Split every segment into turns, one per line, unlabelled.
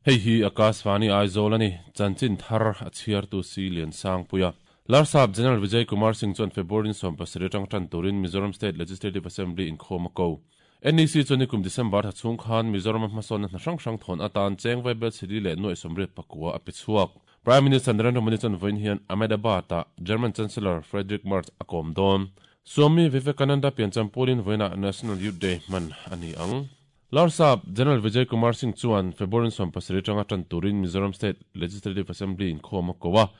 Hei hi Akashvani Aizawl a ni, chanchin thar a chhiartu si Liansangpuia. Larsap General Vijay Kumar Singh chuan February ni 17 atang tan turin Mizoram State Legislative Assembly inkhawm a ko. NEC chuan nikum December thla chhung khan Mizoram-a hmasawnna hna hrang hrang thawn atan cheng vaibel chhili leh nuaih 89 a pe chhuak. Prime Minister Narendra Modi chuan vawiin hian Ahmedabad-ah German Chancellor Friedrich Merz a kawm dawn. Swami Vivekananda piancham pualin vawiinah National Youth Day hman a ni ang. Larsap General Vijay Kumar Singh chuan February 17 atanga tan turin Mizoram State Legislative Assembly inkhawm a ko a.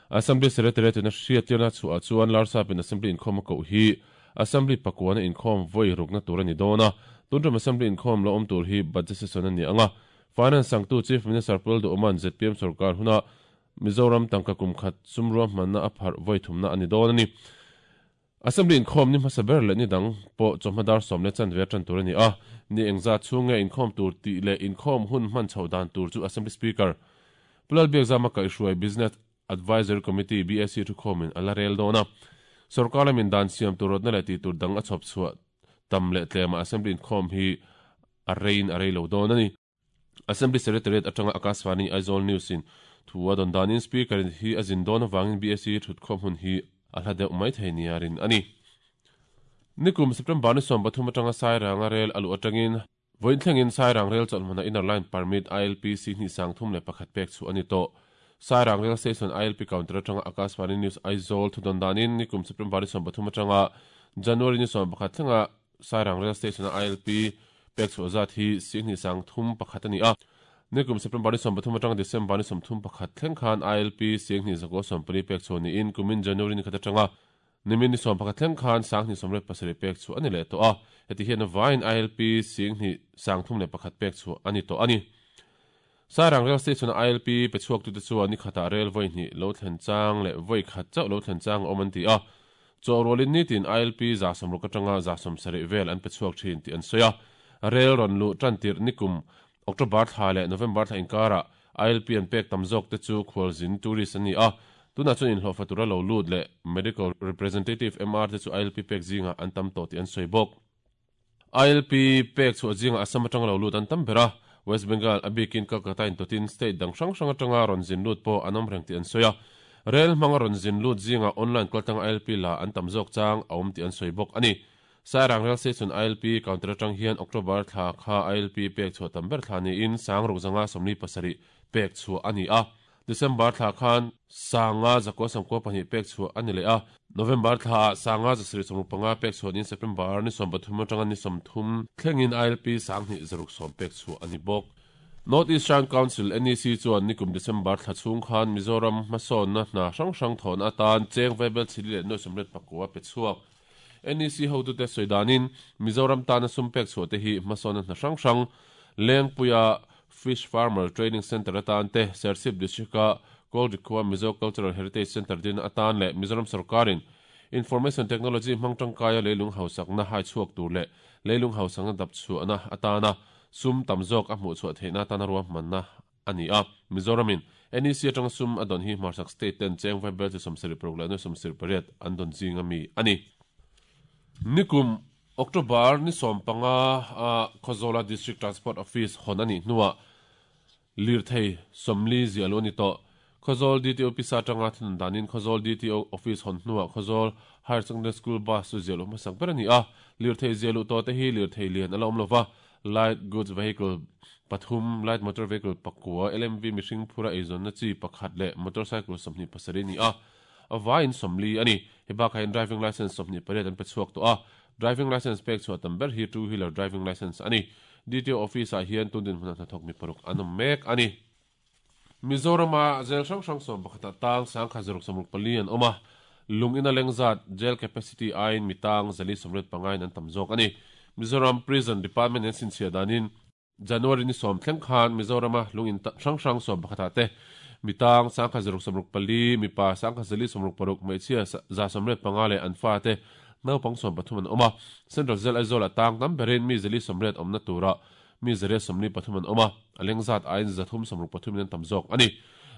Assembly Secretariat in a hriattirna chhuah chuan Larsap in Assembly inkhawm a koh hi Assembly pakuana inkhawm vawi rukna tur a ni dawn a. Tuntum Assembly inkhawm lo awm tur hi Budget Session a ni ang a. Finance sangtu Chief Minister Pu Lalduhawma'n zpm sorkar huna Mizoram tangka kum khat sumrua hmanna a pharh vawi thumna a ni dawn a ni. Assembly inkhawm ni hmasa ber leh ni dang pawh chawhma dar sawm leh chanve a tan tur a ni a, ni engzat chhung nge inkhawm tur tih leh inkhawm hun hman chhoh dan tur chu Assembly Speaker Pu Lalbiakzama kaihhruai Business Advisory Committee, BAC, thukhawmin a la rel dawn a. Sorkar lamin dan siam tur rawtna leh tih tur dang a chhawp chhuah tam leh tlema Assembly inkhawm hi a reiin a rei lo dawn a ni. Assembly Secretariat atanga Akashvani Aizawl News in thu a dawn danin Speaker in hi a zin dawn avangin BAC thutkhawm hun hi a hla deuh mai thei nia rin a ni. Nikum September ni 13 atanga Sairanga rel a luh atangin vawiin thlengin Sairang rel chawlhhmuna Inner Line Permit ILP Sihnih 31 pek chhuah a ni tawh. Sairang Rail Station ILP counter atanga Akashvani News Aizawl thu dawn danin nikum September ni 13 atanga January ni 11 thlenga Sairang Rail Station-a ILP pek chhuah zat hi Sihnih 31 a ni a. Nikum September ni 13 atanga December ni 31 thleng khan ILP Sihnih 914 pek chhuah niin kumin January ni khat atanga nimin ni 11 thleng khan Sanghnih 87 pek chhuah a ni leh tawh a. Heti hian a vaiin ILP Sihnih 31 pek chhuah a ni tawh a ni. Sairang Rail Station-a ILP pe chhuaktute chuan ni khatah rel vawi hnih lo thlen chang leh vawi khat chauh lo thlen chang a awm an ti a. Chawhrualin nitin ILP 60 atanga 70 vel an pe chhuak thin tih an sawi a. Rel rawn luh tan tirh nikum October thla leh November thla inkarah ILP an pek tam zawk te chu khualzin, tourist, an ni a. Tunah chuan inhlawhfa tura lo lut leh Medical Representative, MR, te chu ILP pek zingah an tam tawh tih an sawi bawk. ILP pek chhuah zingah Assam atanga lo lut an tam ber a, West Bengal, a bikin Kolkata intawtin state dang hrang hrang atanga rawn zin lut pawh an awm reng tih an sawi a. Rel hmanga rawn zin lut zingah online kaltanga ILP la an tam zawk chang a awm tih an sawi bawk a ni. Sairang Rail Station ILP counter atang hian October thla kha ILP pek chhuah tam ber thla niin 6707 pek chhuah a ni a. December thla khan 5992 pek chhuah a ni leh a, November thlaah 5765 pek chhuah niin September ni 13 atanga ni 30 thlengin ILP 2670 pek chhuah a ni bawk. North Eastern Council, NEC, chuan nikum December thla chhung khan Mizoram hmasawnna hna hrang hrang thawhna atan cheng vaibel chili leh nuaih 89 pe chhuak. NEC hotute sawi danin Mizoram tana sum pek chhuah te hi hmasawnna hna hrang hrang Lengpuia Fish Farmer Training Centre atan te, Serchhip District-a Kawlri khua Mizo Cultural Heritage Centre dinna atan leh Mizoram sorkarin Information Technology hmang tangkaia leilung hausakna hai chhuak tur leh leilung hausakna dap chhuahna atana sum tam zawk a hmuh chhuah theihna atana ruahmanna a ni a. Mizoramin NEC atanga sum a dawn hi hmarchhak state ten cheng vaibel chi 76 leh nuai 78 an dawn zinga mi a ni. Nikum October ni 15 a Khawzawla District Transport Office hawn a nih hnuah lirthei 40 ziah luh a ni tawh. Khawzawl DTO pisa atanga thunun danin Khawzawl DTO Office hawn hnuah Khawzawl Higher Secondary School bus chu ziah luh hmasak ber a ni a. Lirthei ziah luh tawh te hi lirthei lian a la awm lova, Light Goods Vehicle pathum, Light Motor Vehicle pakua, LMV mihring phura eizawnna chi pakhat leh Motorcycle 27 a ni a. A vaiin 40 a ni. He bakah hian Driving Licence 28 an pe chhuak tawh a. Driving Licence pek chhuah tam ber hi Two Wheeler Driving Licence a ni. DTO Office ah hian tun dinhmunah hnathawk mi paruk an awm mek a ni. Mizorama jail hrang hrang 11 ah tang 1664 an awm a. Lung ina leng zat, jail capacity, aiin mi tang 485 in an tam zawk a ni. Mizoram Prison Department in an chhinchhiah danin, January ni 10 thleng khan Mizorama lung in hrang hrang 11 ah te mi tang 1664, mipa 1466, hmeichhia 185 leh an fate naupang 13 an awm a. Central Jail Aizawl ah tang tam berin mi 480 awmna turah mi 143 an awm a, a leng zat aiin 363 in an tam zawk a ni.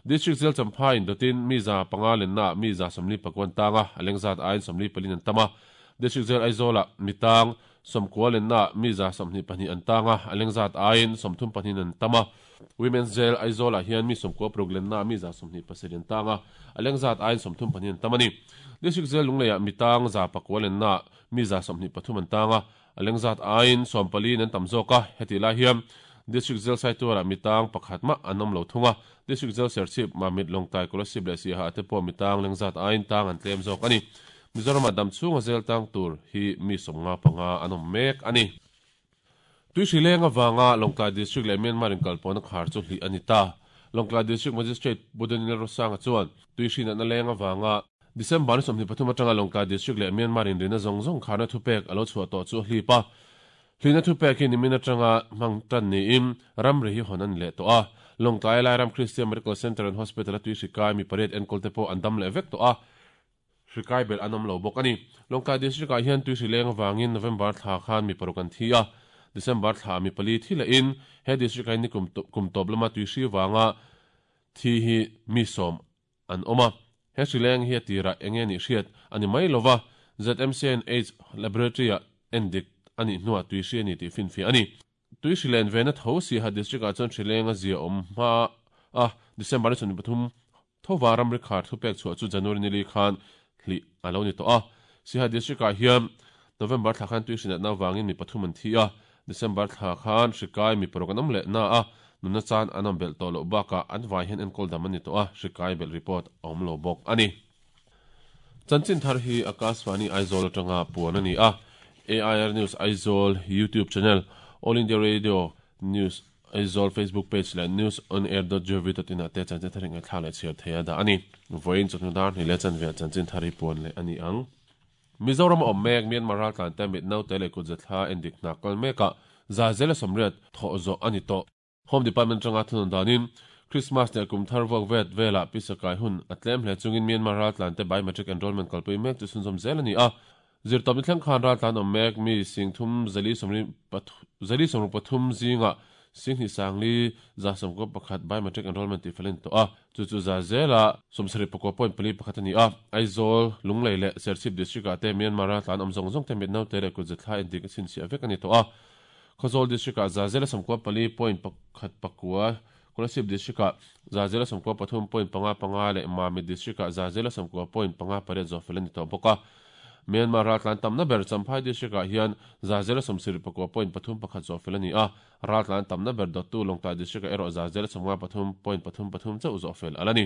District Jail Champhai in dawtin mi 500 lenna ah mi 149 an tang a, a leng zat aiin 44 in an tam a. District Jail Aizawl ah mi tang. sawmkua lennaah mi 22 an tang a, a leng zat aiin 32 an tam a. Women's Jail Aizawlah hian mi 96 lennaah mi 27 an tang a, a leng zat aiin 34 an tam a ni. District Jail Lungleiah mi tang 9 lennaah mi 23 an tang a, a leng zat aiin 14 an tam zawk a. Hetih lai hian District Jail Saitualah mi tang pakhat mah an awm lo thung a, District Jail Serchhip, Mamit, Lawngtlai, Kolasib leh Siaha te pawh mi tang leng zat aiin tang an tlem zawk a ni. Mizoramah dam chhunga zel tang tur hi mi 55 an awm mek a ni. Tuihri leng avanga Lawngtlai District leh Myanmar inkalpawhna khar chu hlih a ni ta. Lawngtlai District Magistrate Pu Daniel Rosanga chuan tuihri natna leng avanga December ni 23 atanga Lawngtlai District leh Myanmar inrina zawng zawng kharna thupek a lo chhuah tawh chu a hlip a. Hlihna thupek hi nimin atanga hmang tan niin ramri hi hawn a ni leh tawh a. Lawngtlai Lairam Christian Medical Centre and Hospital a tuihri kai mi pariat enkawl te pawh an dam leh vek tawh a. Hri kai belh an awm lo bawk a ni. Lawngtlai District ah hian tuihri leng avangin November thla khan mi paruk an thi a, December thla mi pali thi lehin he District ah hian nikum kum tawp lama tuihri vanga thi hi mi sawm an awm a. He hri leng hi a tirah eng nge nih hriat a ni mai lova, ZMCNH Laboratory ah endik a nih hnuah tuihri a ni tih finfiah a ni. Tui hri len vena tho Siaha District ah chuan hri leng a zia awm hma a, December ni 23 thova ramri khar thupek chhuah chu January nili khan hlih a lo ni tawh a. Siaha District ah hian November thla khan tui hri natna avangin mi pathum an thi a, December thla khan hri kai mi paruk an awm leh na a, nunna chan an awm belh tawh loh bakah an vai hian enkawl dam an ni tawh a, hri kai belh report a awm lo bawk a ni. Chanchin thar hi Akashvani Aizawl atanga puan a ni a, AIR News Aizawl YouTube channel, All India Radio News Aizawl Facebook page leh newsonair.gov.in ah te chanchin thar hi ngaihthlak leh chhiar thei a dah a ni. Vawiin chawhnu dar hnih leh chanve ah chanchin thar hi puan leh a ni ang. Mizoram a awm mek Myanmar raltlan te mit naute leh kut zathla endik hna kal mekah Zazela sawmriat thawh zawh a ni tawh. Home Department atanga thunawn danin Christmas leh kum thar vuak vet velah pisa kai hun a tlem hle chungin Myanmar raltlante biometric enrollment kalpui mek chu chhunzawm zel a ni a. Zirtawpni thleng khan raltlan awm mek mi sing thum zali sawmri zali sawmruk pathum zingah sing hnih sangli 111 biometric enrollment tih fel a ni tawh a, chu chu za zela 71.41 a ni a. Aizawl, Lunglei leh Serchhip District-ah te Myanmar raltlan awm zawng zawng te mit naute leh kut zethla endik a chhinchhiah vek a ni tawh a. Khawzawl District-ah 194 point pakhat pakua, Kolasib District-ah 193 point panga panga leh Mamit District-ah 190 point panga pariat zawh fel a ni tawh bawk a. Myanmar raltlan tamna ber Champhai District-ah hian 179 point pathum pakhat zawh fel a ni a, raltlan tamna ber dawttu Lawngtlai District-ah erawh 153 point pathum pathum chauh zawh fel a la ni.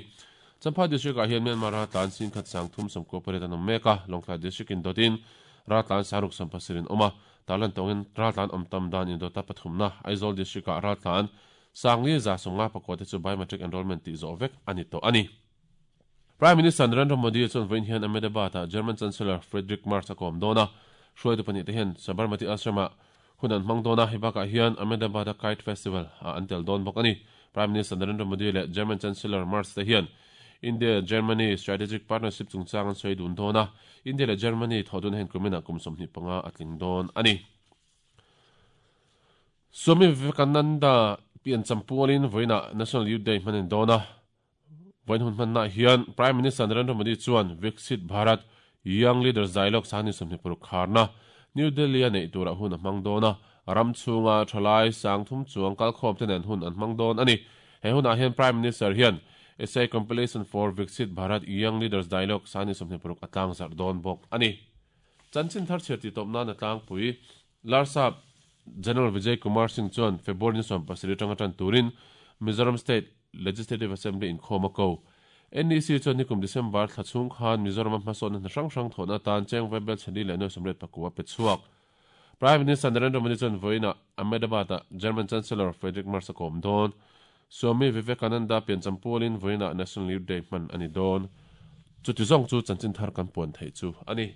Champhai District-ah hian Myanmar raltlan singkhat sangthum sawmkua pariat an awm mek a, Lawngtlai District-in dawtin raltlan saruk sawmpasarih an awm a, Tarlan tawngin raltlan awm tam dan indawta pathumna Aizawl District-ah raltlan Sangli 55 te chu biometric enrollment tih zawh vek a ni tawh a ni. Prime Minister Narendra Modi chuan vawiin hian Ahmedabad-ah German Chancellor Friedrich Merz a kawm dawn a, hruaitu pahnih te hian Sabarmati Ashram-ah hun an hmang dawn a, hei bakah hian Ahmedabad-a Kite Festival-ah an tel dawn bawk a ni. Prime Minister Narendra Modi leh German Chancellor Merz te hian India-Germany Strategic Partnership chungchang an sawi dun dawn a, India leh Germany thawh dun hian kuminah kum 25 a tling dawn a ni. Swami Vivekananda piancham pualin vawiinah National Youth Day hman a ni dawn a. Vawiin hun hmannaah hian Prime Minister Narendra Modi chuan Viksit Bharat Young Leaders Dialogue sangni 26 kharna New Delhi-a neih turah hun a hmang dawn a. Ram chhunga thalai 3000 chuang kalkhawm te nen hun an hmang dawn a ni. He hunah hian Prime Minister hian Essay Compilation for Viksit Bharat Young Leaders Dialogue sangni 26 a tlangzarh dawn bawk a ni. Chanchin thar chhiar tih tawp nan a tlangpui Larsap General Vijay Kumar Singh chuan February ni 17 atanga tan turin Mizoram State Legislative Assembly inkhawm a ko. NEC chuan nikum December thla chhung khan Mizoram-a hmasawnna hna hrang hrang thawhna atan cheng vaibel chhani leh nuai sawmriat pakua a pe chhuak. Prime Minister Narendra Modi chuan vawiinah Ahmedabad-ah German Chancellor Friedrich Merz a kawm dawn. Swami Vivekananda piancham pualin vawiinah National Youth Day hman a ni dawn. Chuti zawng chu chanchin thar kan puan theih chu a ni.